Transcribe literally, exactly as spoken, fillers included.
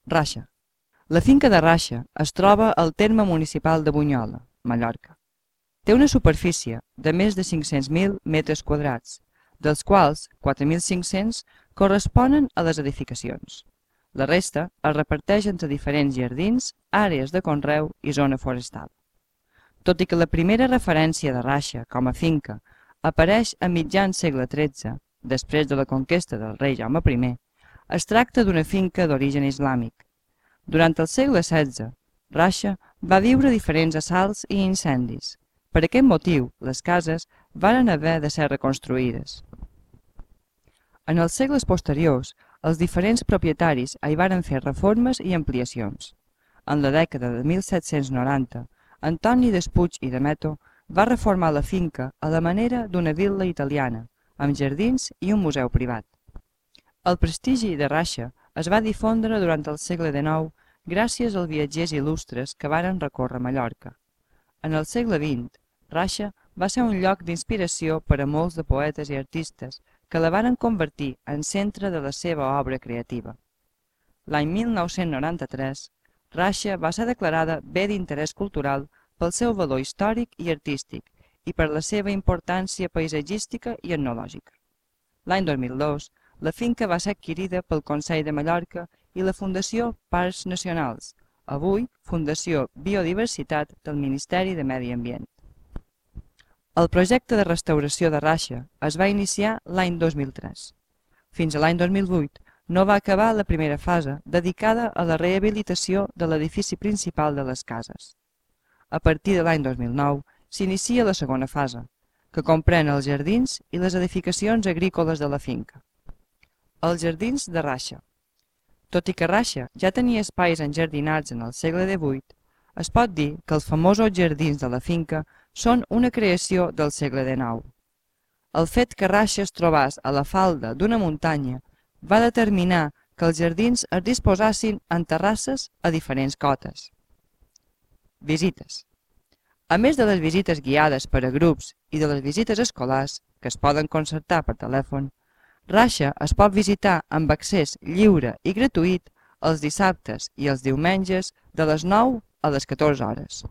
Raixa. La finca de Raixa es troba al terme municipal de Bunyola, Mallorca. Té una superfície de més de cinc-cents mil metres quadrats, dels quals quatre mil cinc-cents corresponen a les edificacions. La resta es reparteix entre diferents jardins, àrees de conreu i zona forestal. Tot i que la primera referència de Raixa com a finca apareix a mitjans segle tretze, després de la conquesta del rei Jaume primer, es tracta d'una finca d'origen islàmic. Durant el segle setze, Raixa va viure diferents assalts i incendis. Per aquest motiu, les cases varen haver de ser reconstruïdes. En els segles posteriors, els diferents propietaris hi varen fer reformes i ampliacions. En la dècada de mil set-cents noranta, Antoni Despuig i Demeto va reformar la finca a la manera d'una vil·la italiana, amb jardins i un museu privat. El prestigi de Raixa es va difondre durant el segle dinou gràcies als viatgers il·lustres que varen recórrer Mallorca. En el segle vint, Raixa va ser un lloc d'inspiració per a molts de poetes i artistes que la varen convertir en centre de la seva obra creativa. L'any mil nou-cents noranta-tres, Raixa va ser declarada bé d'interès cultural pel seu valor històric i artístic i per la seva importància paisatgística i etnològica. L'any dos mil dos, la finca va ser adquirida pel Consell de Mallorca i la Fundació Parcs Nacionals, avui Fundació Biodiversitat del Ministeri de Medi Ambient. El projecte de restauració de Raixa es va iniciar l'any dos mil tres. Fins a l'any dos mil vuit no va acabar la primera fase dedicada a la rehabilitació de l'edifici principal de les cases. A partir de l'any dos mil nou s'inicia la segona fase, que comprèn els jardins i les edificacions agrícoles de la finca. Els jardins de Raixa. Tot i que Raixa ja tenia espais enjardinats en el segle divuit, es pot dir que els famosos jardins de la finca són una creació del segle dinou. El fet que Raixa es trobés a la falda d'una muntanya va determinar que els jardins es disposassin en terrasses a diferents cotes. Visites. A més de les visites guiades per a grups i de les visites escolars, que es poden concertar per telèfon, Raixa es pot visitar amb accés lliure i gratuït els dissabtes i els diumenges de les nou a les catorze hores.